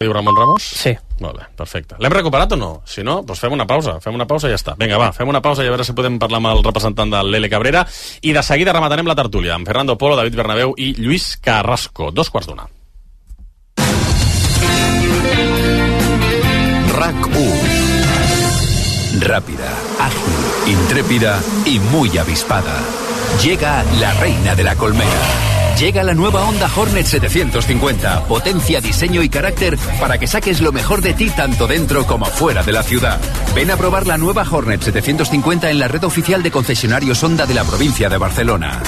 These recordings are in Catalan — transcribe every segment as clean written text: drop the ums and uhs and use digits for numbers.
Diu Ramon Ramos? Sí. Molt bé, perfecte. L'hem recuperat o no? Si no, doncs fem una pausa i ja està. Vinga, va, fem una pausa i a veure si podem parlar amb el representant de l'L Cabrera i de seguida rematarem la tertúlia amb Fernando Polo, David Bernabéu i Lluís Carrasco. 2:15. RAC1. Rápida, ágil, intrépida y muy avispada. Llega la reina de la colmena. Llega la nueva Honda Hornet 750. Potencia, diseño y carácter para que saques lo mejor de ti tanto dentro como fuera de la ciudad. Ven a probar la nueva Hornet 750 en la red oficial de concesionarios Honda de la provincia de Barcelona.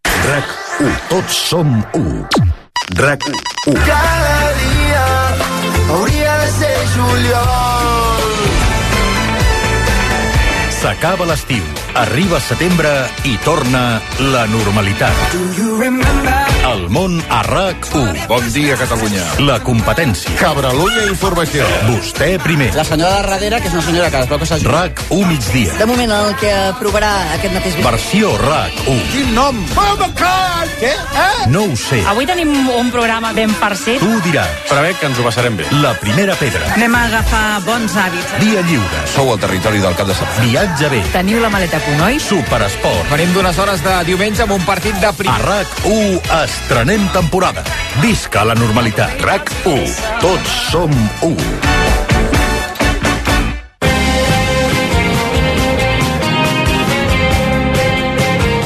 RAC1. Tots som u. RAC1. Cada dia hauria de ser juliol. S'acaba l'estiu, arriba setembre i torna la normalitat. El món a RAC1. Bon dia, Catalunya. La competència. Cabralunya Informació. Vostè primer. La senyora de darrere, que és una senyora que es veu que s'ha... RAC1 migdia. De moment, el que aprovarà aquest mateix... Versió RAC1. Quin nom? Què? No ho sé. Avui tenim un programa ben farcit. Tu diràs. Però bé, que ens ho passarem bé. La primera pedra. Anem a agafar bons hàbits. Dia lliure. Sou al territori del cap de setmana. Viatge bé. Teniu la maleta a punt, oi? Superesport. Venim d'unes hores de diumenge amb un partit de A RAC1 estrenem temporada. Visca la normalitat. RAC1. Tots som u.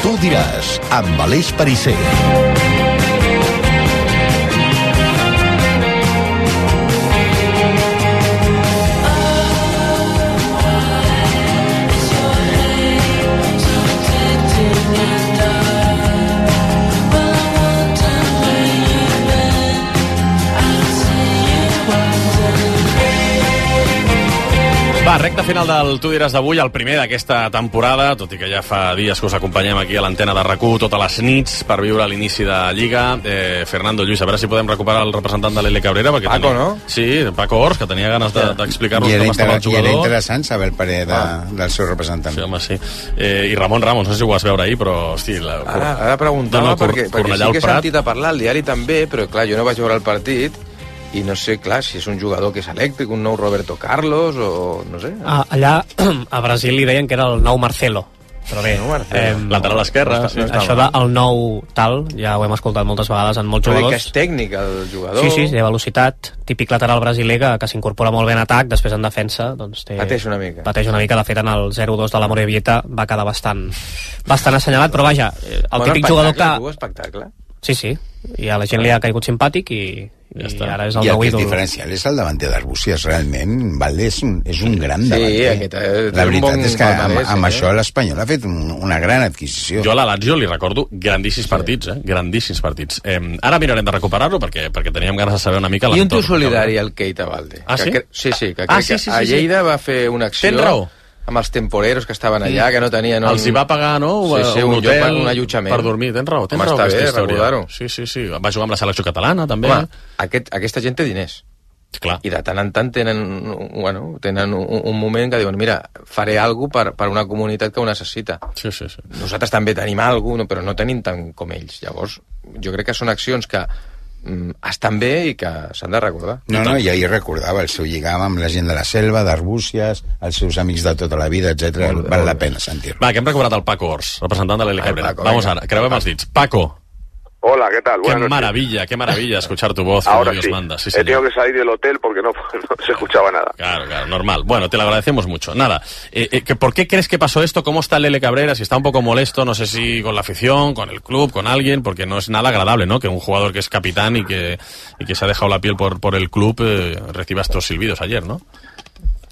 Tu diràs, amb Aleix Perisser. Va, recta final del Tu diràs d'avui, el primer d'aquesta temporada, tot i que ja fa dies que us acompanyem aquí a l'antena de RAC1 totes les nits per viure l'inici de Lliga. Fernando, Lluís, a veure si podem recuperar el representant de l'L Cabrera. Paco, no? Sí, Paco Ors, que tenia ganes d'explicar-nos com estava el I jugador. era interessant saber el parer del seu representant. Sí, home, sí. I Ramon Ramos, no sé si ho vas veure ahir, però, hosti... Ara preguntava, perquè sí que he sentit a parlar al diari també, però clar, jo no vaig veure el partit i no sé, clar, si és un jugador que és elèctric, un nou Roberto Carlos o no sé. Allà a Brasil li deien que era el nou Marcelo, però bé, lateral esquerre, sí, això del nou tal ja ho hem escoltat moltes vegades en molts jugadors. Però que és tècnic el jugador. Sí, té velocitat, típic lateral brasiler que s'incorpora molt bé en atac, després en defensa doncs pateix una mica. De fet en el 0-2 de la Morevieta va quedar bastant assenyalat, però vaja, el típic jugador que... espectacle. Sí, i a la gent li ha caigut simpàtic i ara és el nou ídol. I el que és diferencial és el davanter d'Arbúcies, realment. Valde és un gran davanter. La veritat és que amb això l'Espanyol ha fet una gran adquisició. Jo a la Lazio li recordo grandíssims partits, grandíssims partits. Ara mirarem de recuperar-lo perquè teníem ganes de saber una mica l'entorn. I un tu solidari al Keita Valde. Ah, sí? Sí, que crec que a Lleida va fer una acció... Tens raó. Amb els temporeros que estaven allà, que no tenien... Els hi va pagar, no? Sí, un hotel, un allotjament. Per dormir, tens raó. Està bé, recordar-ho. Sí. Va jugar amb la selecció catalana, també. Home, aquesta gent té diners. Clar. I de tant en tant tenen un moment que diuen, mira, faré alguna per una comunitat que ho necessita. Sí. Nosaltres també tenim alguna cosa, però no tenim tant com ells. Llavors, jo crec que són accions que estan bé i que s'han de recordar. No, i ahir recordava el seu lligam amb la gent de la selva, d'Arbúcies, els seus amics de tota la vida, etc. Val la pena sentir-lo. Va, que hem recuperat el Paco Ors, representant de l'L Cabrera. Vamos ara, creuem els dits. Paco. Hola, ¿qué tal? Qué maravilla escuchar tu voz. Ahora Dios sí. manda. Sí, he tenido que salir del hotel porque no se escuchaba nada. Claro, normal. Bueno, te lo agradecemos mucho. Nada, ¿por qué crees que pasó esto? ¿Cómo está el L Cabrera? Si está un poco molesto, no sé si con la afición, con el club, con alguien, porque no es nada agradable, ¿no? Que un jugador que es capitán y que se ha dejado la piel por el club reciba estos silbidos ayer, ¿no?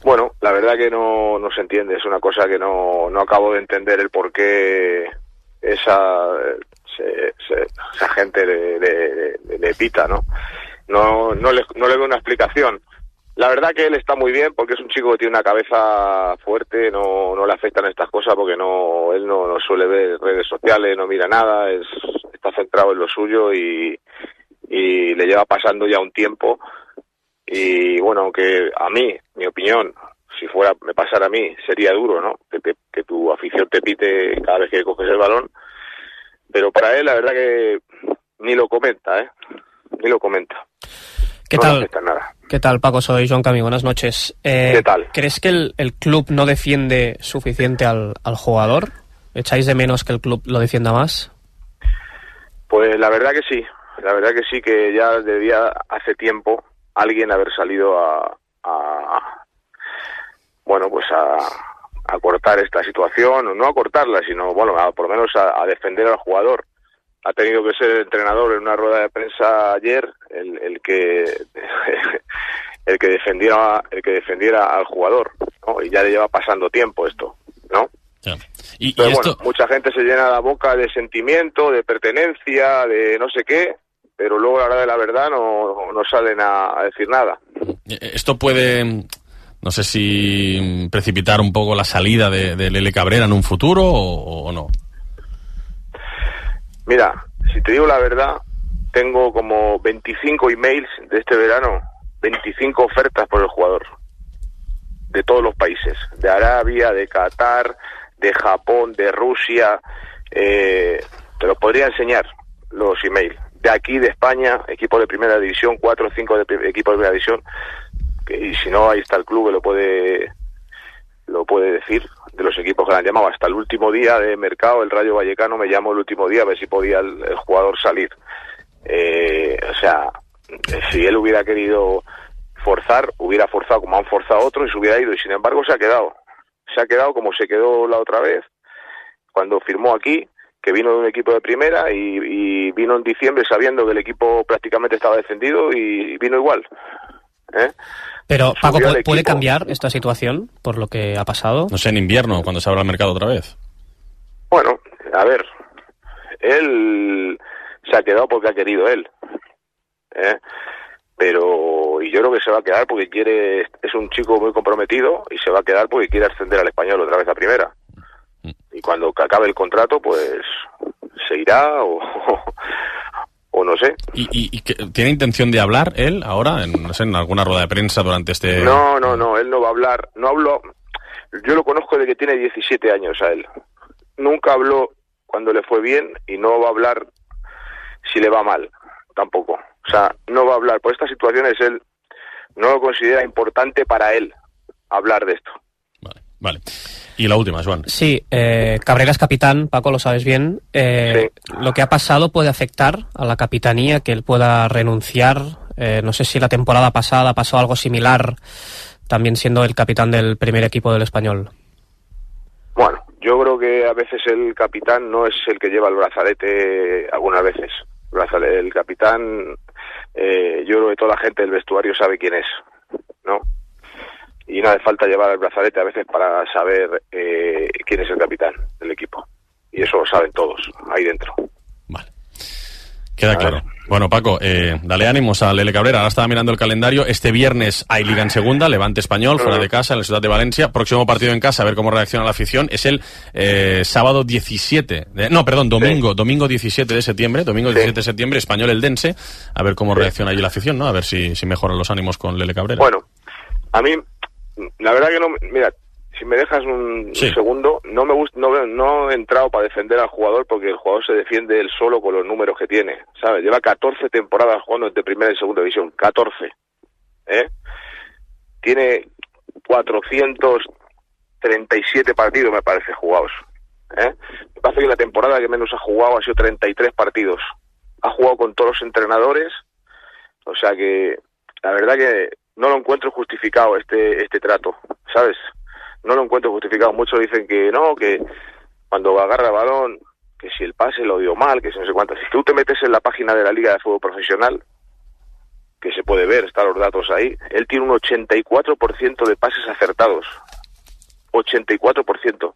Bueno, la verdad que no se entiende. Es una cosa que no acabo de entender el por qué esa gente le pita, ¿no? No le veo una explicación. La verdad que él está muy bien porque es un chico que tiene una cabeza fuerte, no le afectan estas cosas porque él no suele ver redes sociales, no mira nada, está centrado en lo suyo y le lleva pasando ya un tiempo. Y bueno, aunque a mí, mi opinión, si me pasara a mí, sería duro, ¿no? Que tu afición te pite cada vez que coges el balón. Pero para él, la verdad que ni lo comenta, Ni lo comenta. No aceptan nada. ¿Qué tal, Paco? Soy Joan Camí, buenas noches. ¿Qué tal? ¿Crees que el club no defiende suficiente al jugador? ¿Echáis de menos que el club lo defienda más? Pues la verdad que sí, que ya debía hace tiempo alguien haber salido a cortar esta situación, o no a cortarla, sino por lo menos a defender al jugador. Ha tenido que ser el entrenador en una rueda de prensa ayer el que defendiera al jugador, ¿no? Y ya le lleva pasando tiempo esto, ¿no? Ya. Pero bueno, mucha gente se llena la boca de sentimiento, de pertenencia, de no sé qué, pero luego a la hora de la verdad no salen a decir nada. Esto puede, no sé si precipitar un poco la salida de Lele Cabrera en un futuro o no. Mira, si te digo la verdad, tengo como 25 emails de este verano, 25 ofertas por el jugador, de todos los países, de Arabia, de Qatar, de Japón, de Rusia, te los podría enseñar, los emails, de aquí, de España, equipos de primera división, 4 o 5 equipos de primera división, y si no, ahí está el club que lo puede decir, de los equipos que le han llamado. Hasta el último día de mercado, el Rayo Vallecano me llamó el último día a ver si podía el jugador salir. Si él hubiera querido forzar, hubiera forzado como han forzado otros y se hubiera ido, y sin embargo se ha quedado como se quedó la otra vez cuando firmó aquí, que vino de un equipo de primera y vino en diciembre sabiendo que el equipo prácticamente estaba defendido y vino igual. Pero, Paco, ¿puede cambiar esta situación por lo que ha pasado? No sé, en invierno, cuando se abra el mercado otra vez. Bueno, a ver, él se ha quedado porque ha querido él. Pero yo creo que se va a quedar porque es un chico muy comprometido y se va a quedar porque quiere ascender al Español otra vez a primera. Y cuando acabe el contrato, pues se irá o no sé. ¿Y tiene intención de hablar él ahora, en alguna rueda de prensa durante este...? No, él no va a hablar. No habló. Yo lo conozco desde que tiene 17 años a él. Nunca habló cuando le fue bien y no va a hablar si le va mal, tampoco. O sea, no va a hablar. Por estas situaciones él no lo considera importante para él hablar de esto. Vale. Y la última, Joan. Sí, Cabrera es capitán, Paco, lo sabes bien. Sí. ¿Lo que ha pasado puede afectar a la capitanía, que él pueda renunciar? No sé si la temporada pasada pasó algo similar, también siendo el capitán del primer equipo del Español. Bueno, yo creo que a veces el capitán no es el que lleva el brazalete, algunas veces. El capitán, yo creo que toda la gente del vestuario sabe quién es, ¿no? Y no hace falta llevar el brazalete a veces para saber quién es el capitán del equipo. Y eso lo saben todos, ahí dentro. Vale. Queda claro. Bueno, Paco, dale ánimos a Lele Cabrera. Ahora estaba mirando el calendario. Este viernes hay Liga en Segunda, Levante Español, fuera de casa, en la ciudad de Valencia. Próximo partido en casa, a ver cómo reacciona la afición. Es el sábado 17... domingo 17 de septiembre. Domingo 17 de septiembre, Español Eldense. A ver cómo reacciona allí la afición, ¿no? A ver si mejoran los ánimos con Lele Cabrera. Bueno, a mí... La verdad que no, mira, si me dejas un segundo, no me gusta, no he entrado para defender al jugador porque el jugador se defiende él solo con los números que tiene, ¿sabes? Lleva 14 temporadas jugando entre primera y segunda división, 14, Tiene 437 partidos, me parece, jugados, Me parece que la temporada que menos ha jugado ha sido 33 partidos. Ha jugado con todos los entrenadores, o sea que la verdad que no lo encuentro justificado este trato, ¿sabes? No lo encuentro justificado. Muchos dicen que no, que cuando agarra el balón, que si el pase lo dio mal, que si no sé cuántas. Si tú te metes en la página de la Liga de Fútbol Profesional, que se puede ver, están los datos ahí, él tiene un 84% de pases acertados. 84%.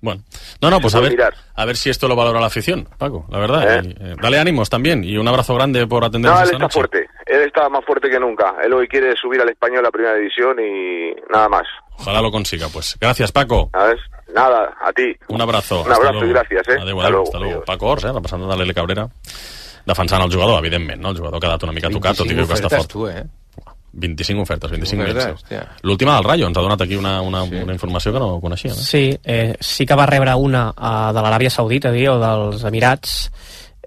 Bueno, pues a ver si esto lo valora la afición, Paco, la verdad. Dale ánimos también y un abrazo grande por atendernos esta noche. Fuerte, él está más fuerte que nunca. Él hoy quiere subir al Español a la primera división y nada más. Ojalá lo consiga, pues. Gracias, Paco. Nada, a ti. Un abrazo. Un abrazo y gracias, Hasta luego. Paco Ors, representant de Lele Cabrera, defensant el jugador, evidentment, no? El jugador que ha dat una mica tocat, tot i que està fort. 25 ofertes, 25 emails. L'última del Rayo, ens ha donat aquí una informació que no coneixia. Sí, sí que va rebre una de l'Aràbia Saudita o dels Emirats,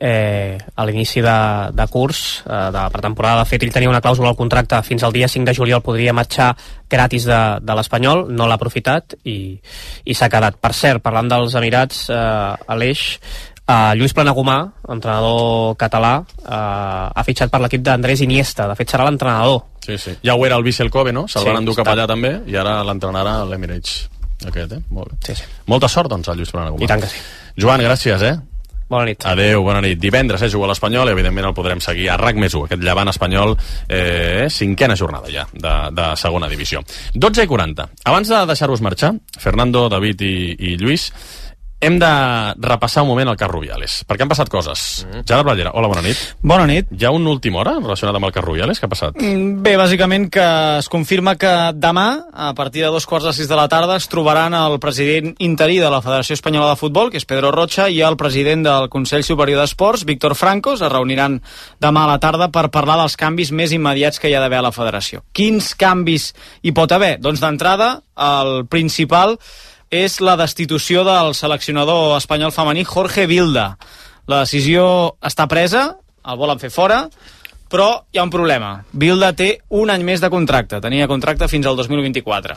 a l'inici de curs, de la pretemporada. De fet, ell tenia una clàusula al contracte fins al dia 5 de juliol, podria marxar gratis de l'Espanyol, no l'ha aprofitat i s'ha quedat. Per cert, parlant dels Emirats, Aleix, Lluís Planagumà, entrenador català, ha fitxat per l'equip d'Andrés Iniesta. De fet, serà l'entrenador. Sí. Ja ho era el Vissel Kobe, no? Se'l van endur cap allà també, i ara l'entrenarà l'Emirates aquest, Molt bé. Sí. Molta sort, doncs, al Lluís Planagumà. I tant que sí. Joan, gràcies, Bona nit. Adéu, bona nit. Divendres juga l'Espanyol i evidentment el podrem seguir a RAC+1, aquest Llevant Espanyol, 5a jornada ja de segona divisió. 12:40. Abans de deixar-vos marxar, Fernando, David i Lluís, hem de repassar un moment el cas Rubiales, perquè han passat coses. Gerard Ballera, hola, bona nit. Bona nit. Hi ha una última hora relacionada amb el cas Rubiales? Què ha passat? Bé, bàsicament que es confirma que demà, a partir de 2:45 de la tarda, es trobaran el president interí de la Federació Espanyola de Futbol, que és Pedro Rocha, i el president del Consell Superior d'Esports, Víctor Franco. Es reuniran demà a la tarda per parlar dels canvis més immediats que hi ha d'haver a la federació. Quins canvis hi pot haver? Doncs d'entrada, el principal és la destitució del seleccionador espanyol femení Jorge Vilda. La decisió està presa, el volen fer fora, però hi ha un problema. Vilda té un any més de contracte, tenia contracte fins al 2024.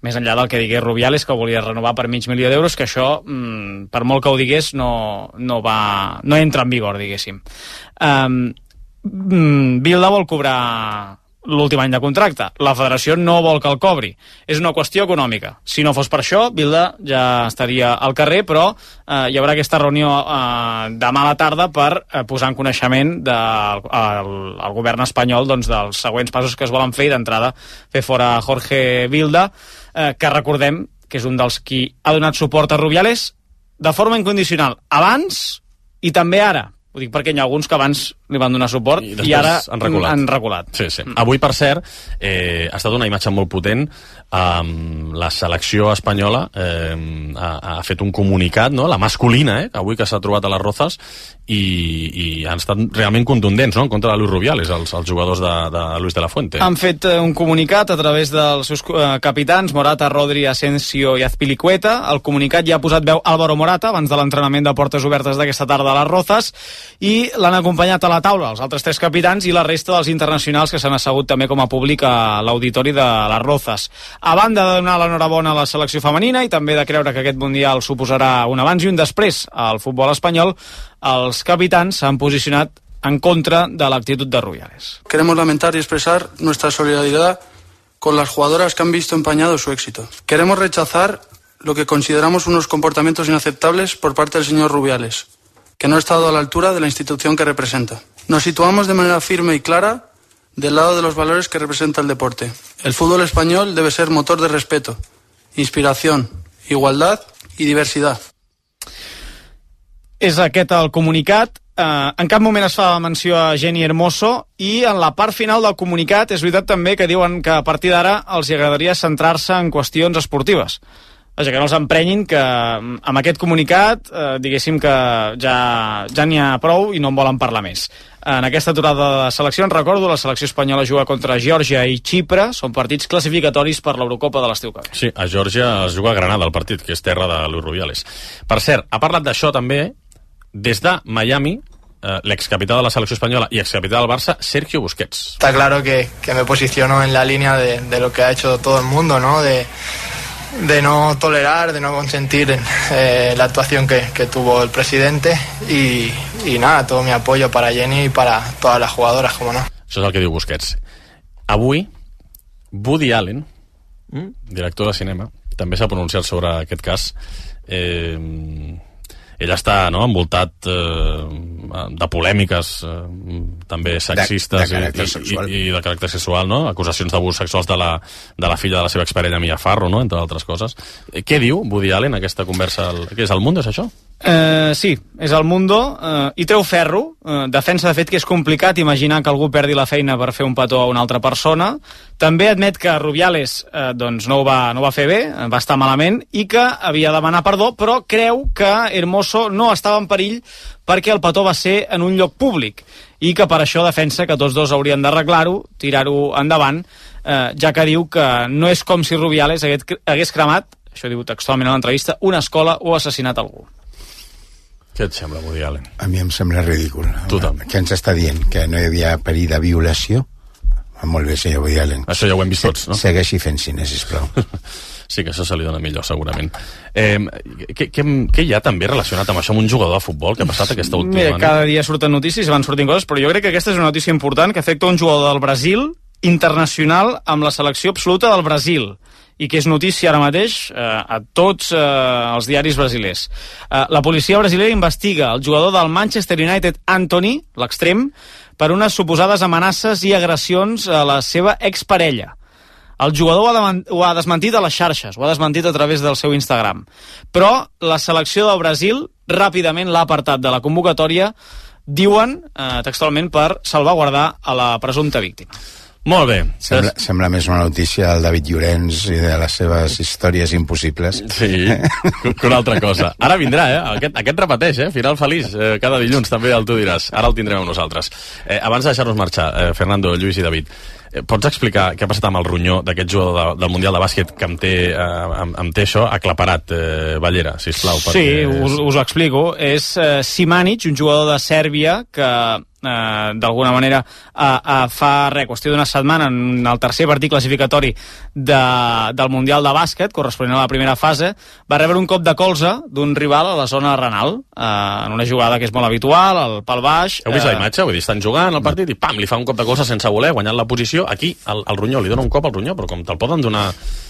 Més enllà del que digués Rubiales, que ho volia renovar per $500.000, que això, per molt que ho digués, no entra en vigor, diguéssim. Vilda vol cobrar l'últim any de contracte. La federació no vol que el cobri. És una qüestió econòmica. Si no fos per això, Vilda ja estaria al carrer, però hi haurà aquesta reunió demà a la tarda per posar en coneixement al govern espanyol dels següents passos que es volen fer, i d'entrada fer fora Jorge Vilda, que recordem que és un dels qui ha donat suport a Rubiales de forma incondicional abans i també ara. Ho dic perquè hi ha alguns que abans li van donar suport i ara han reculat. Sí. Avui, per cert, ha estat una imatge molt potent. La selecció espanyola ha fet un comunicat, no? La masculina, avui que s'ha trobat a les Rozas, i han estat realment contundents, no?, en contra de Luis Rubiales, els jugadors de Luis de la Fuente. Han fet un comunicat a través dels seus capitans, Morata, Rodri, Asensio i Azpilicueta. El comunicat ja ha posat veu Álvaro Morata abans de l'entrenament de portes obertes d'aquesta tarda a les Rozas, i l'han acompanyat a la taula els altres 3 capitans i la resta dels internacionals que s'han assegut també com a públic a l'auditori de les Rozas. A banda de donar l'enhorabona a la selecció femenina i també de creure que aquest Mundial suposarà un abans i un després al futbol espanyol, els capitans s'han posicionat en contra de l'actitud de Rubiales. Queremos lamentar y expresar nuestra solidaridad con las jugadoras que han visto empañado su éxito. Queremos rechazar lo que consideramos unos comportamientos inaceptables por parte del señor Rubiales, que no ha estado a la altura de la institución que representa. Nos situamos de manera firme y clara del lado de los valores que representa el deporte. El fútbol español debe ser motor de respeto, inspiración, igualdad y diversidad. És aquest el comunicat. En cap moment es fa menció a Jenny Hermoso, i en la part final del comunicat és veritat també que diuen que a partir d'ara els agradaria centrar-se en qüestions esportives. Vaja, que no els emprenyin, que amb aquest comunicat diguéssim que ja n'hi ha prou i no en volen parlar més. En aquesta aturada de seleccions, recordo, la selecció espanyola juga contra Geòrgia i Xipre, són partits classificatoris per l'Eurocopa de l'estiu que ve. Sí, a Geòrgia es juga a Granada el partit, que és terra de Luis Rubiales. Per cert, ha parlat d'això també des de Miami, l'excapità de la selecció espanyola y excapità del Barça, Sergio Busquets. Está claro que me posiciono en la línea de lo que ha hecho todo el mundo, ¿no? De no tolerar, de no consentir la actuación que tuvo el presidente, y nada, todo mi apoyo para Jenny y para todas las jugadoras, como no. Això és el que diu Busquets. Avui, Woody Allen, director de cinema, també s'ha pronunciat sobre aquest cas. Ell està envoltat de polèmiques també sexistes i de caràcter sexual, no? Acusacions d'abús sexuals de la filla de la seva exparella Mia Farrow, no? Entre altres coses. Què diu Woody Allen en aquesta conversa? Què és El Mundo, és això? Sí, és El Mundo, i treu ferro, defensa de fet que és complicat imaginar que algú perdi la feina per fer un petó a una altra persona. També admet que Rubiales no ho va fer bé, va estar malament, i que havia de demanar perdó, però creu que Hermoso no estava en perill perquè el petó va ser en un lloc públic, i que per això defensa que tots dos haurien d'arreglar-ho, tirar-ho endavant, ja que diu que no és com si Rubiales hagués cremat, això diu textualment a l'entrevista, una escola o assassinat algú. Què et sembla, Woody Allen? A mi em sembla ridícul. Totalment. Què ens està dient? Que no hi havia perill de violació? Molt bé, senyor Woody Allen. Això ja ho hem vist tots, no? Segueixi fent cine, sisplau. Sí, que això se li dona millor, segurament. Què hi ha també relacionat amb això, amb un jugador de futbol que ha passat aquesta última? Mira, cada dia surten notícies i van sortint coses, però jo crec que aquesta és una notícia important que afecta un jugador del Brasil internacional amb la selecció absoluta del Brasil i que és notícia ara mateix a tots els diaris brasilers. La policia brasilera investiga el jugador del Manchester United, Anthony, l'extrem, per unes suposades amenaces i agressions a la seva exparella. El jugador ho ha desmentit a les xarxes, ho ha desmentit a través del seu Instagram. Però la selecció del Brasil ràpidament l'ha apartat de la convocatòria, diuen textualment, per salvaguardar a la presumpta víctima. Molt bé. Sembla més una notícia del David Llorenç i de les seves històries impossibles. Sí, que una altra cosa. Ara vindrà, aquest repeteix, final feliç, cada dilluns també el Tu diràs. Ara el tindrem amb nosaltres. Abans de deixar-nos marxar, Fernando, Lluís i David, pots explicar què ha passat amb el ronyó d'aquest jugador del Mundial de Bàsquet que em té això aclaparat, Ballera, sisplau? Sí, us ho explico. És Simanic, un jugador de Sèrbia que d'alguna manera fa qüestió d'una setmana en el tercer partit classificatori del Mundial de Bàsquet, corresponent a la primera fase, va rebre un cop de colze d'un rival a la zona renal, en una jugada que és molt habitual, al pal baix. Heu vist la imatge? Vull dir, estan jugant al partit i pam, li fa un cop de colze sense voler, guanyant la posició. Aquí, al ronyó, li dona un cop al ronyó, però com te'l poden donar...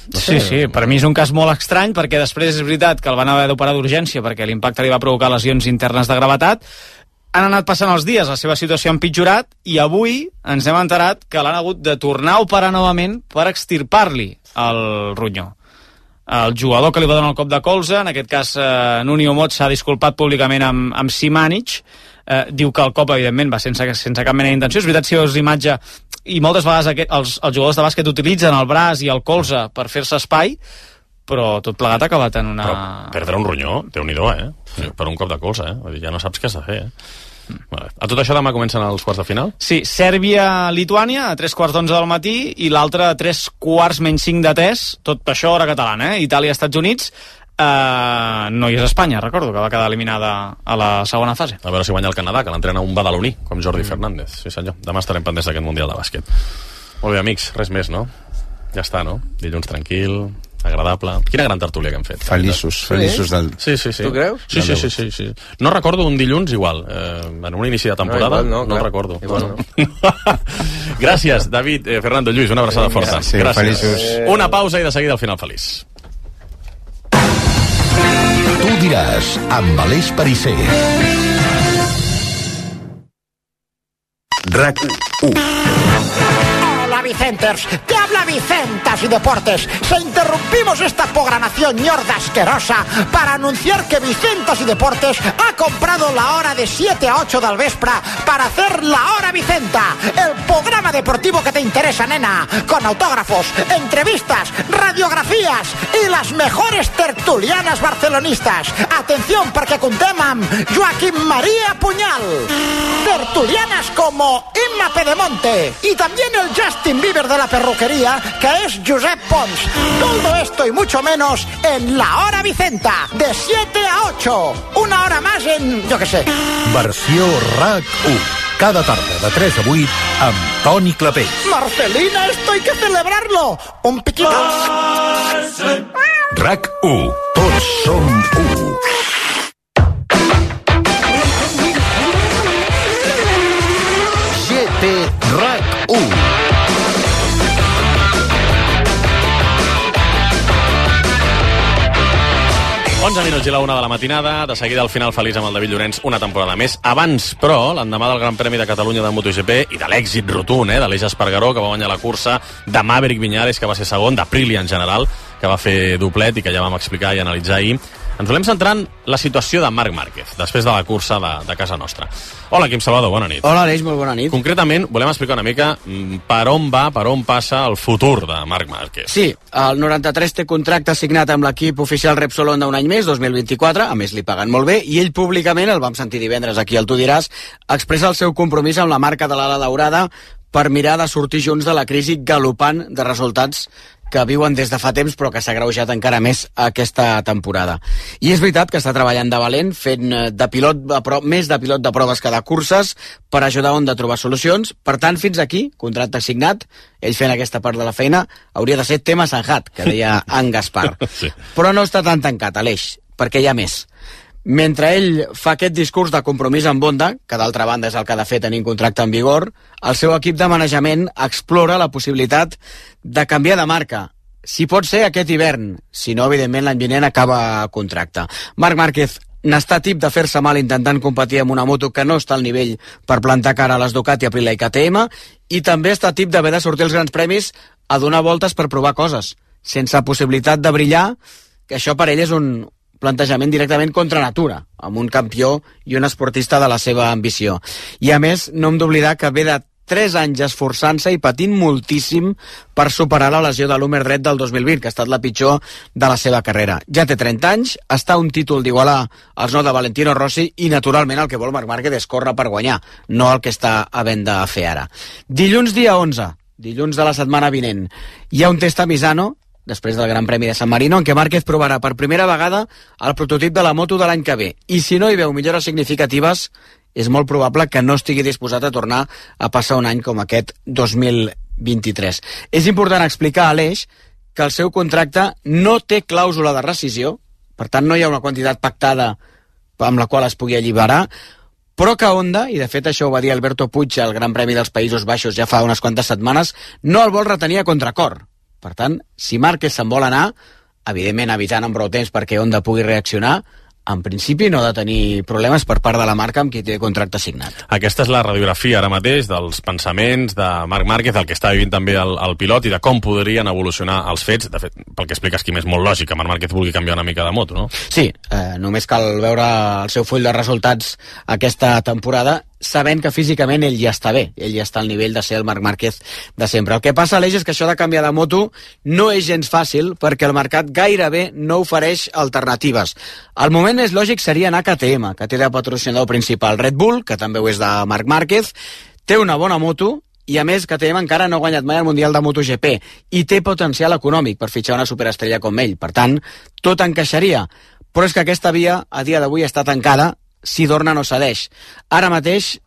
No sé. Sí, per mi és un cas molt estrany, perquè després és veritat que el van haver d'operar d'urgència perquè l'impacte li va provocar lesions internes de gravetat. Han anat passant els dies, la seva situació ha empitjorat i avui ens hem enterat que l'han hagut de tornar a operar novament per extirpar-li el ronyó. El jugador que li va donar el cop de colze, en aquest cas Nuno Mot, s'ha disculpat públicament amb Simanic, diu que el cop evidentment va sense cap mena d'intenció. És veritat, si veus l'imatge, i moltes vegades els jugadors de bàsquet utilitzen el braç i el colze per fer-se espai, però tot plegat ha acabat en una... Però perdre un ronyó, Déu-n'hi-do, per un cop de colze, ja no saps què has de fer, A tot això demà comencen els quarts de final? Sí, Sèrbia-Lituània a 3:15 del matí i l'altre a 3:45 de TES, tot això hora catalana, Itàlia-Estats Units. No hi és Espanya, recordo, que va quedar eliminada a la segona fase. A veure si guanya el Canadà, que l'entrena un badaloní, com Jordi Fernández. Sí, senyor. Demà estarem pendents d'aquest Mundial de Bàsquet. Molt bé, amics, res més, no? Ja està, no? Dilluns tranquil, agradable. Quina gran tertúlia que hem fet. Feliços del... Sí. Tu creus? Sí. No recordo un dilluns igual. En un inici de temporada no el recordo. Igual no. Gràcies, David, Fernando, Lluís, una abraçada forta. Sí, gràcies. Feliços. Una pausa i de seguida al final feliç. Tu diràs, amb Aleix Pariser. RAC 1. Hola Vicenters, te habla Vicentas y Deportes. Se interrumpimos esta programación ñorda asquerosa para anunciar que Vicentas y Deportes ha comprado la hora de 7 a 8 del vespre para hacer la Hora Vicenta, el programa deportivo que te interesa, nena, con autógrafos, entrevistas, radiografías y las mejores tertulianas barcelonistas. Atención, perquè contem amb Joaquim María Puñal, tertulianas como Imma Pedemonte y también el Justin Bieber de la perruquería, que es Josep Pons. Todo esto y mucho menos en la Hora Vicenta, de 7 a 8. Una hora más en, yo qué sé. Versió RAC 1. Cada tarda de 3 a 8 amb Toni Clapés. Marcelina, esto hay que celebrarlo. Un piquito. RAC 1. Tots som 1. GT RAC 1. Onze minuts i la una de la matinada, de seguida al final feliç amb el David Llorenç, una temporada més. Abans, però, l'endemà del Gran Premi de Catalunya de MotoGP i de l'èxit rotund, d'Aleix Espargaró, que va guanyar la cursa, de Maverick Viñales, que va ser segon, d'Aprilia en general, que va fer doblet i que ja vam explicar i analitzar ahir. Ens volem centrar en la situació de Marc Márquez, després de la cursa de casa nostra. Hola, Quim Salvador, bona nit. Hola, Aleix, molt bona nit. Concretament, volem explicar una mica per on passa el futur de Marc Márquez. Sí, el 93 té contracte signat amb l'equip oficial Repsol Honda un any més, 2024, a més li paguen molt bé, i ell públicament, el vam sentir divendres aquí al Tu diràs, expressa el seu compromís amb la marca de l'ala daurada per mirar de sortir junts de la crisi galopant de resultats que viuen des de fa temps però que s'ha agreujat encara més aquesta temporada. I és veritat que està treballant de valent, fent més de pilot de proves que de curses per ajudar Honda a trobar solucions. Per tant, fins aquí, contracte signat, ell fent aquesta part de la feina, hauria de ser tema sanjat, que deia en Gaspar. Sí. Però no està tan tancat, Aleix, perquè hi ha més. Mentre ell fa aquest discurs de compromís amb Honda, que d'altra banda és el que ha de fer tenir un contracte en vigor, el seu equip de manejament explora la possibilitat de canviar de marca. Si pot ser aquest hivern, si no, evidentment, l'any vinent acaba contracte. Marc Márquez n'està tip de fer-se mal intentant competir amb una moto que no està al nivell per plantar cara a les Ducati, Aprilia i KTM, i també està tip d'haver de sortir als grans premis a donar voltes per provar coses, sense possibilitat de brillar, que això per ell és un plantejament directament contra natura, amb un campió i un esportista de la seva ambició. I a més, no hem d'oblidar que ve de 3 anys esforçant-se i patint moltíssim per superar la lesió de l'húmer dret del 2020, que ha estat la pitjor de la seva carrera. Ja té 30 anys, està a un títol d'igualar els 9 de Valentino Rossi i, naturalment, el que vol Marc Márquez és córrer per guanyar, no el que està havent de fer ara. Dilluns dia 11, dilluns de la setmana vinent, hi ha un test a Misano, després del Gran Premi de San Marino, en què Márquez provarà per primera vegada el prototip de la moto de l'any que ve. I si no hi veu millores significatives, és molt probable que no estigui disposat a tornar a passar un any com aquest 2023. És important explicar a Aleix que el seu contracte no té clàusula de rescisió, per tant no hi ha una quantitat pactada amb la qual es pugui alliberar, però que Honda, i de fet això ho va dir Alberto Puig al Gran Premi dels Països Baixos ja fa unes quantes setmanes, no el vol retenir a contracor. Per tant, si Márquez se'n vol anar, evidentment avisant amb prou temps perquè Honda pugui reaccionar, en principi no ha de tenir problemes per part de la marca amb qui té contracte signat. Aquesta és la radiografia ara mateix dels pensaments de Marc Márquez, el que està vivint també el pilot i de com podrien evolucionar els fets. De fet, pel que expliques, Quim, és molt lògic que Marc Márquez vulgui canviar una mica de moto, no? Sí, només cal veure el seu full de resultats aquesta temporada sabent que físicament ell ja està bé, ell ja està al nivell de ser el Marc Márquez de sempre. El que passa, Aleix, és que això de canviar de moto no és gens fàcil perquè el mercat gairebé no ofereix alternatives. El moment més lògic seria anar a KTM, que té de patrocinador principal Red Bull, que també ho és de Marc Márquez, té una bona moto i a més KTM encara no ha guanyat mai el Mundial de MotoGP i té potencial econòmic per fitxar una superestrella com ell. Per tant, tot encaixaria. Però és que aquesta via a dia d'avui està tancada si Dorna no cedeix. Ara mateix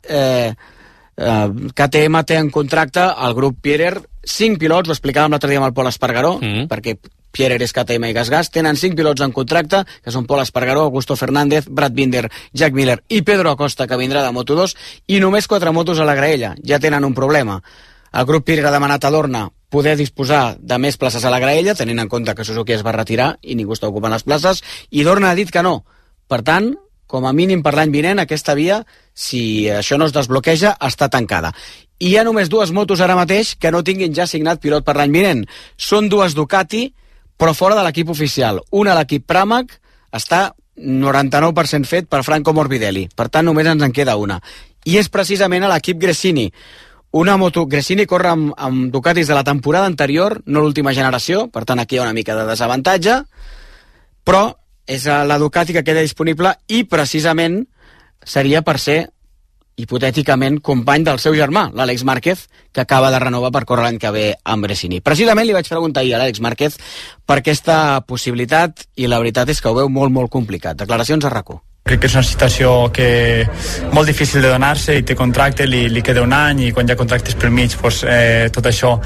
KTM té en contracte el grup Pierer 5 pilots, ho explicàvem l'altre dia amb el Pol Espargaró, perquè Pierer és KTM i GasGas, tenen 5 pilots en contracte, que són Pol Espargaró, Augusto Fernández, Brad Binder, Jack Miller i Pedro Acosta, que vindrà de Moto2, i només 4 motos a la graella. Ja tenen un problema. El grup Pierer ha demanat a Dorna poder disposar de més places a la graella, tenint en compte que Suzuki es va retirar i ningú està ocupant les places, i Dorna ha dit que no. Per tant, com a mínim per l'any vinent, aquesta via, si això no es desbloqueja, està tancada. I hi ha només 2 motos ara mateix que no tinguin ja signat pilot per l'any vinent. Són 2 Ducati, però fora de l'equip oficial. Una, l'equip Pramac, està 99% fet per Franco Morbidelli. Per tant, només ens en queda una. I és precisament a l'equip Gresini. Una moto... Gresini corre amb Ducatis de la temporada anterior, no l'última generació, per tant, aquí hi ha una mica de desavantatge, però és la Ducati que queda disponible i precisament seria per ser hipotèticament company del seu germà, l'Àlex Márquez, que acaba de renovar per córrer l'any que ve amb Gresini. Precisament li vaig preguntar ahir a l'Àlex Márquez per aquesta possibilitat i la veritat és que ho veu molt, molt complicat. Declaracions a RAC1. Crec que és una situació molt difícil de donar-se i té contracte, li queda un any i quan hi ha contractes pel mig tot això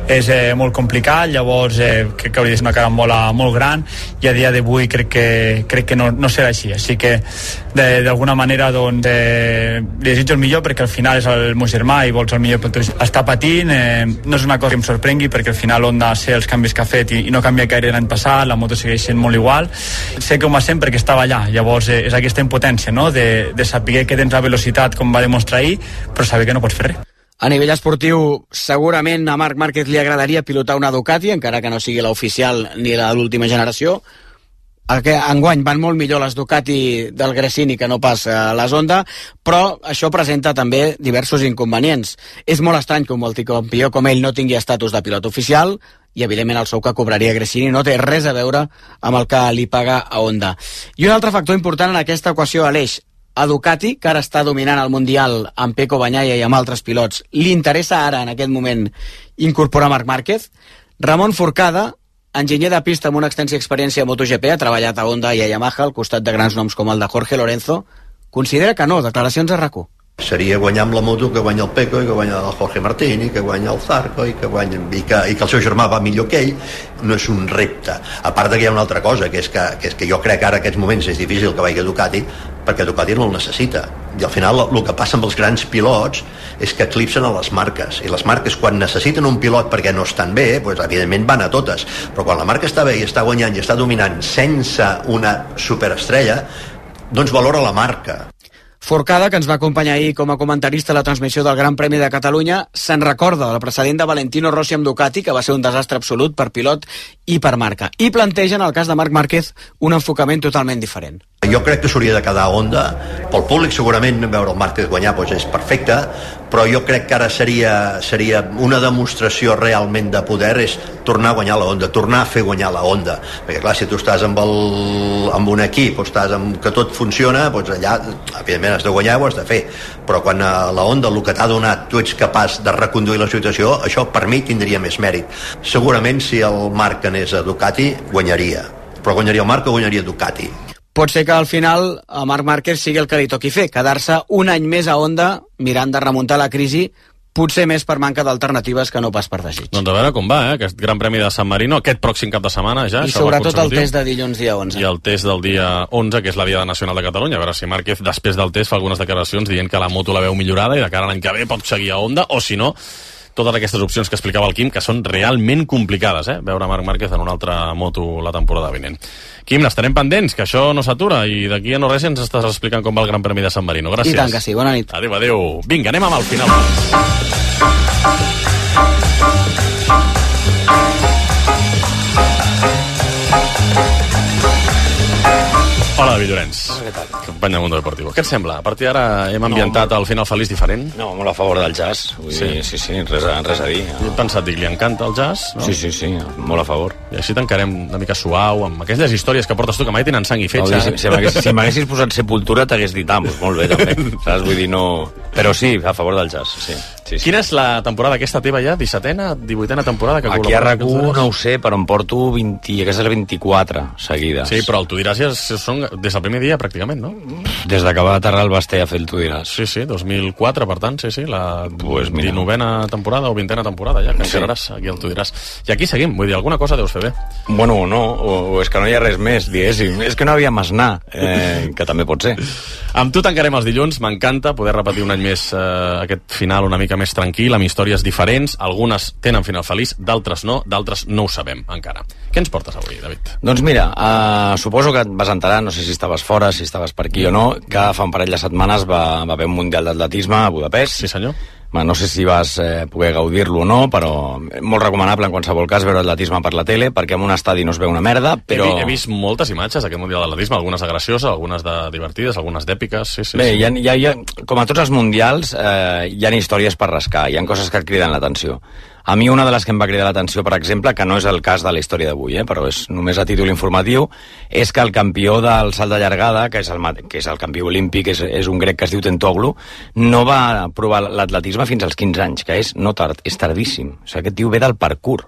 és molt complicat, llavors crec que hauria de ser una carambola molt gran i a dia d'avui crec que no serà així que d'alguna manera li desitjo el millor perquè al final és el meu germà i vols el millor per tu. Està patint, no és una cosa que em sorprengui perquè al final Honda sé els canvis que ha fet i no canvia gaire l'any passat, la moto segueix sent molt igual, sé que ho va sent perquè estava allà, llavors és aquesta impotència, no? de saber que tens la velocitat com va demostrar ahir, però saber que no pots fer res. A nivell esportiu, segurament a Marc Márquez li agradaria pilotar una Ducati, encara que no sigui l'oficial ni la de l'última generació. Enguany van molt millor les Ducati del Gresini que no pas les Honda, però això presenta també diversos inconvenients. És molt estrany que un multicampió com ell no tingui estatus de pilot oficial i evidentment el sou que cobraria Gresini no té res a veure amb el que li paga a Honda. I un altre factor important en aquesta equació, Aleix, A Ducati, que ara està dominant el Mundial amb Pecco Bagnaia i amb altres pilots, li interessa ara, en aquest moment, incorporar Marc Márquez? Ramon Forcada, enginyer de pista amb una extensa experiència a MotoGP, ha treballat a Honda i a Yamaha al costat de grans noms com el de Jorge Lorenzo, considera que no. Declaracions a RAC1. Seria guanyar amb la moto que guanya el Pecco i que guanya el Jorge Martín i que guanya el Zarco i que el seu germà va millor que ell. No és un repte. A part que hi ha una altra cosa, que és que jo crec que ara en aquests moments és difícil que vagi a Ducati, perquè Ducati no el necessita. I al final el que passa amb els grans pilots és que eclipsen a les marques, i les marques quan necessiten un pilot perquè no estan bé, doncs evidentment van a totes, però quan la marca està bé i està guanyant i està dominant sense una superestrella, doncs valora la marca. Forcada, que ens va acompanyar ahir com a comentarista a la transmissió del Gran Premi de Catalunya, se'n recorda del precedent de Valentino Rossi amb Ducati, que va ser un desastre absolut per pilot i per marca. I planteja, en el cas de Marc Márquez, un enfocament totalment diferent. Jo crec que s'hauria de quedar a Honda. Pel públic segurament veure el Márquez guanyar doncs és perfecte, però jo crec que ara seria una demostració realment de poder, és tornar a guanyar la Honda, tornar a fer guanyar la Honda, perquè clar, si tu estàs amb un equip o estàs que tot funciona, doncs allà evidentment has de guanyar, ho has de fer, però quan a la Honda el que t'ha donat tu ets capaç de reconduir la situació, això per mi tindria més mèrit. Segurament si el Marc anés a Ducati guanyaria, però guanyaria el Marc o guanyaria Ducati. Pot ser que al final a Marc Márquez sigui el que li toqui fer, quedar-se un any més a Honda mirant de remuntar la crisi, potser més per manca d'alternatives que no pas per desig. Doncs a veure com va, aquest Gran Premi de San Marino, aquest pròxim cap de setmana ja. I sobretot el test de dilluns dia 11. I el test del dia 11, que és la Diada Nacional de Catalunya. A veure si Márquez, després del test, fa algunes declaracions dient que la moto la veu millorada i de cara a l'any que ve pot seguir a Honda, o si no, totes aquestes opcions que explicava el Quim, que són realment complicades, veure Marc Márquez en una altra moto la temporada vinent. Quim, n'estarem pendents, que això no s'atura, i d'aquí a no res ens estàs explicant com va el Gran Premi de San Marino. Gràcies. I tant que sí, bona nit. Adéu, adéu. Vinga, anem amb el final. Hola, David Llorenç. Què tal? Company del Mundo Deportivo. Què et sembla? A partir d'ara hem ambientat el final feliç diferent? No, molt a favor del jazz. Vull dir, sí, res a dir. Jo he pensat, dic, li encanta el jazz, no? Sí, molt a favor. I així tancarem una mica suau, amb aquelles històries que portes tu, que mai tenen sang i fetge. Si m'haguessis posat Sepultura, t'hagués dit, molt bé, també. Saps? Vull dir, no... Però sí, a favor del jazz, sí. Quina és la temporada aquesta teva ja? 17a, 18a temporada? Que aquí a RAC1 no ho sé, però em porto 20, aquesta és 24 seguides. Sí, però el Tu diràs ja són des del primer dia, pràcticament, no? Des que va aterrar el Basté a fer el Tu diràs. Sí, 2004, per tant, la 19a temporada o 20a temporada, ja, que encararàs aquí el Tu diràs. I aquí seguim, vull dir, alguna cosa deus fer bé. Bueno, no, o és que no hi ha res més, diguéssim. És que no havia Masnar, que també pot ser. Amb tu tancarem els dilluns, m'encanta poder repetir un any més aquest final una mica més tranquil, amb històries diferents, algunes tenen final feliç, d'altres no ho sabem encara. Què ens portes avui, David? Doncs mira, suposo que et vas enterar, no sé si estaves fora, si estaves per aquí o no, que fa un parell de setmanes va haver un Mundial d'Atletisme a Budapest. Sí, senyor. No sé si vas poder gaudir-lo o no, però molt recomanable en qualsevol cas veure atletisme per la tele, perquè en un estadi no es veu una merda, però... He vist moltes imatges d'aquest Mundial d'Atletisme, algunes de gracioses, algunes de divertides, algunes d'èpiques, sí. Bé, com a tots els mundials, hi ha històries per rascar, hi ha coses que et criden l'atenció. A mi una de les que em va cridar l'atenció, per exemple, que no és el cas de la història d'avui, però és només a títol informatiu, és que el campió del salt de llargada, que és el campió olímpic, és un grec que es diu Tentoglu, no va provar l'atletisme fins als 15 anys, que és tardíssim. O sigui, aquest tio ve del parkour.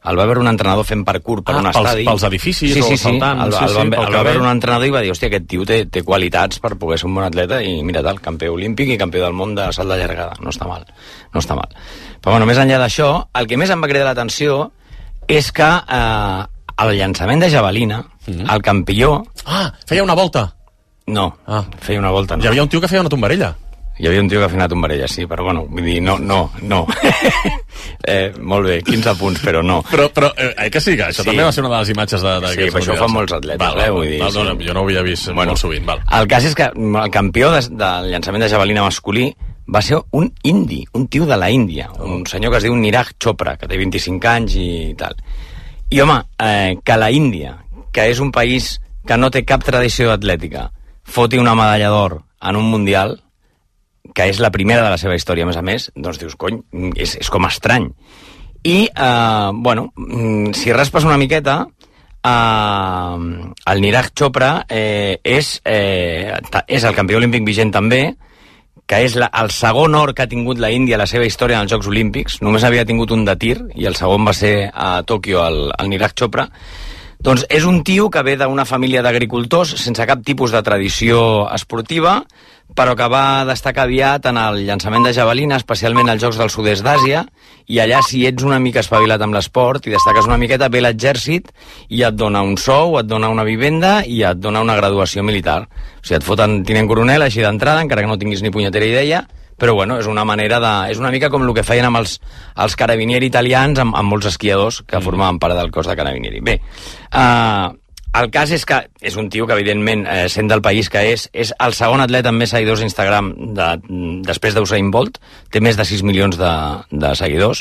El va veure un entrenador fent parkour per un estadi. Pels edificis o saltant. El va veure un entrenador i va dir, hòstia, aquest tio té qualitats per poder ser un bon atleta, i mira tal, campió olímpic i campió del món de salt de llargada. No està mal. Però bueno, més enllà d'això, el que més em va cridar l'atenció és que el llançament de javelina, el campió... Feia una volta. No, feia una volta no. Hi havia un tio que feia una tombarella. Hi havia un tio que feia una tombarella, sí, però bueno, vull dir, no. Molt bé, 15 punts, però no. Però que sí, que això també va ser una de les imatges d'aquests mundials. Sí, però això ho fan molts atletes, vull dir. Jo no ho havia vist molt sovint. El cas és que el campió del llançament de javelina masculí va ser un indi, un tio de la Índia, un senyor que es diu Niraj Chopra, que té 25 anys i tal. I home, que la Índia, que és un país que no té cap tradició atlètica, foti una medalla d'or en un mundial, que és la primera de la seva història, a més, doncs dius, cony, és com estrany. I, bueno, si raspes una miqueta, el Niraj Chopra és el campió olímpic vigent també, que és el segon or que ha tingut la Índia a la seva història en els Jocs Olímpics. Només havia tingut un de tir, i el segon va ser a Tòquio, el Niraj Chopra. Doncs és un tio que ve d'una família d'agricultors sense cap tipus de tradició esportiva, però que va destacar aviat en el llançament de javelina, especialment als Jocs del Sud-est d'Àsia, i allà, si ets una mica espavilat amb l'esport i destaques una miqueta, ve l'exèrcit i et dona un sou, et dona una vivenda i et dona una graduació militar. O sigui, et foten tinent coronel així d'entrada, encara que no tinguis ni punyetera idea, però bueno, és una manera de... És una mica com el que feien amb els carabinieri italians, amb molts esquiadors que formaven part del cos de carabinieri. Bé, el cas és que és un tio que, evidentment, sent del país que és el segon atleta amb més seguidors a Instagram després d'Usain Bolt, té més de 6 milions de seguidors,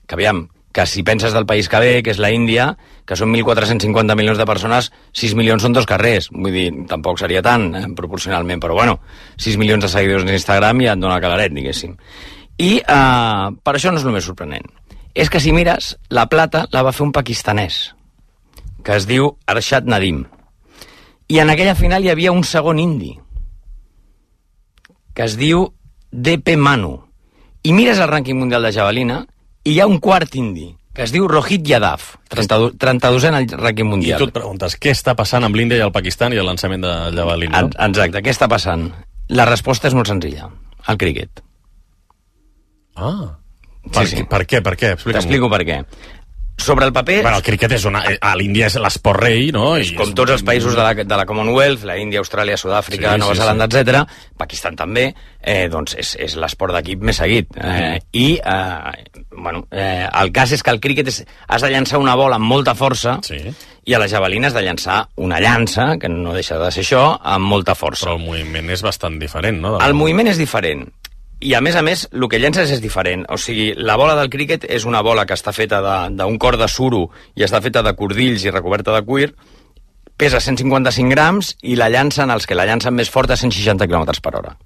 que aviam, que si penses del país que ve, que és la Índia, que són 1.450 milions de persones, 6 milions són 2 carrers. Vull dir, tampoc seria tant, proporcionalment, però bueno, 6 milions de seguidors en Instagram ja et dona calaret, diguéssim. I per això no és el més sorprenent. És que si mires, la plata la va fer un pakistanès, que es diu Arshad Nadim. I en aquella final hi havia un segon indi, que es diu D.P. Manu. I mires el rànquing mundial de javelina, i hi ha un quart indi, que es diu Rohit Yadav, 32è en el rànquing mundial. I tu et preguntes, què està passant amb l'Índia i el Pakistan i el llançament de javelina? Exacte, què està passant? La resposta és molt senzilla, el críquet. Per què? T'explico per què. Sobre el paper... Bueno, el críquet és a l'Índia és l'esport rei, no? Com tots els països de la Commonwealth, la Índia, Austràlia, Sud-àfrica, Nova Zelanda, etc. Pakistan també, doncs és l'esport d'equip més seguit. El cas és que el críquet has de llançar una bola amb molta força i a la javelina has de llançar una llança, que no deixa de ser això, amb molta força. Però el moviment és bastant diferent, no? El moviment és diferent. I a més, el que llences és diferent. O sigui, la bola del críquet és una bola que està feta d'un cor de suro i està feta de cordills i recoberta de cuir, pesa 155 grams i la llancen els que la llancen més fort a 160 km per hora.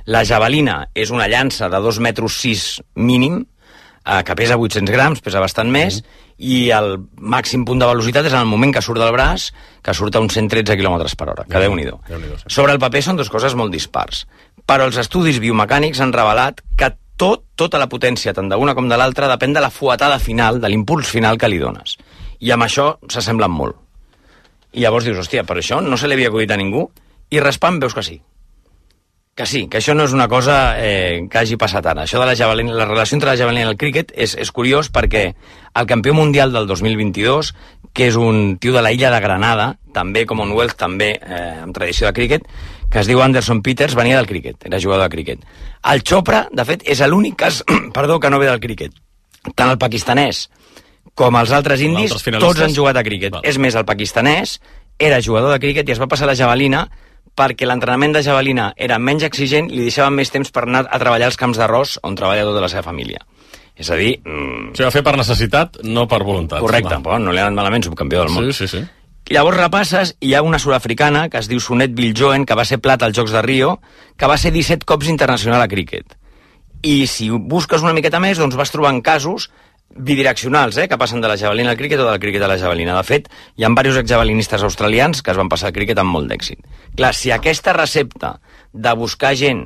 La javelina és una llança de 2,6 metres mínim, que pesa 800 grams, pesa bastant més, i el màxim punt de velocitat és en el moment que surt del braç, que surt a uns 113 km per hora, que Déu-n'hi-do. Sobre el paper són dues coses molt dispars, però els estudis biomecànics han revelat que tota la potència, tant d'una com de l'altra, depèn de la fuetada final, de l'impuls final que li dones. I amb això s'assemblen molt. I llavors dius, hòstia, per això no se li havia acudit a ningú, i raspant veus que sí. Que sí, que això no és una cosa que hagi passat ara. Això de la javelina, la relació entre la javelina i el críquet és curiós perquè el campió mundial del 2022, que és un tio de la illa de Granada, també Commonwealth, també amb tradició de críquet, que es diu Anderson Peters, venia del críquet, era jugador de críquet. El Chopra, de fet, és l'únic cas que no ve del críquet. Tant el pakistanès com els altres indis, tots han jugat a críquet. És més, el pakistanès era jugador de críquet i es va passar a la javelina perquè l'entrenament de javelina era menys exigent i li deixaven més temps per anar a treballar als camps d'arròs on treballa tota la seva família. És a dir... S'ho va fer per necessitat, no per voluntat. Correcte, però no li ha anat malament, subcampió del món. Sí. Llavors repasses, hi ha una sud-africana que es diu Sunet Viljoen, que va ser plata als Jocs de Rio, que va ser 17 cops internacional a críquet. I si busques una miqueta més, doncs vas trobant casos bidireccionals, que passen de la javelina al críquet o del críquet a la javelina. De fet, hi ha diversos exjavelinistes australians que es van passar al críquet amb molt d'èxit. Clar, si aquesta recepta de buscar gent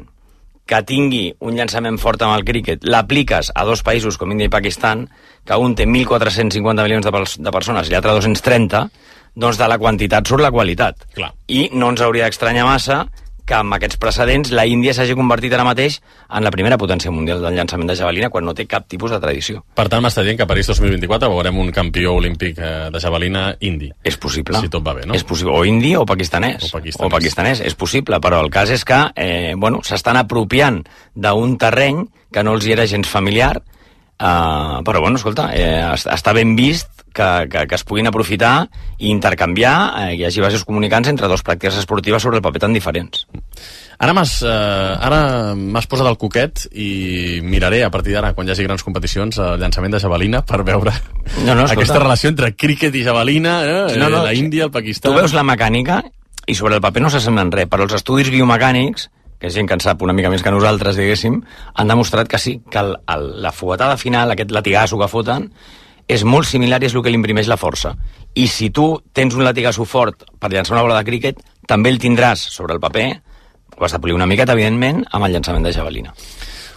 que tingui un llançament fort amb el críquet l'apliques a dos països com Índia i Pakistan, que un té 1.450 milions de persones i l'altre 230, doncs de la quantitat surt la qualitat. Clar. I no ens hauria d'estranyar massa que amb aquests precedents la Índia s'hagi convertit ara mateix en la primera potència mundial del llançament de javelina quan no té cap tipus de tradició. Per tant, m'està dient que a París 2024 veurem un campió olímpic de javelina indi. És possible. Si tot va bé, no? És possible. O indi o pakistanès. O pakistanès. És possible, però el cas és que s'estan apropiant d'un terreny que no els hi era gens familiar, però escolta, està ben vist que es puguin aprofitar i intercanviar, hi hagi bases comunicants entre dues pràctiques esportives sobre el paper tan diferents. Ara m'has posat el coquet i miraré a partir d'ara, quan hi hagi grans competicions, el llançament de javelina per veure aquesta relació entre críquet i javelina, la Índia, el Pakistan... Tu veus la mecànica i sobre el paper no s'assemblen res, però els estudis biomecànics, que és gent que en sap una mica més que nosaltres, diguéssim, han demostrat que sí, que la fuetada final, aquest latigasso que foten, és molt similar i és el que li imprimeix la força. I si tu tens un latigasso fort per llançar una bola de críquet, també el tindràs sobre el paper, ho has de polir una miqueta, evidentment, amb el llançament de javelina.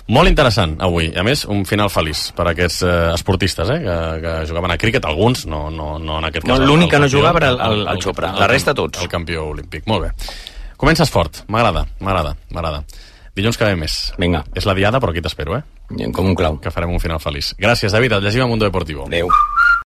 Molt interessant, avui. A més, un final feliç per a aquests esportistes, que jugaven a críquet, alguns, no en aquest cas. L'únic que no jugava era el Chopra, la resta tots. El campió olímpic, molt bé. Comences fort, m'agrada. Dilluns que ve més. Vinga. És la diada, però aquí t'espero, Com un clau. Que farem un final feliç. Gràcies, David, et llegim a Mundo Deportivo. Adéu.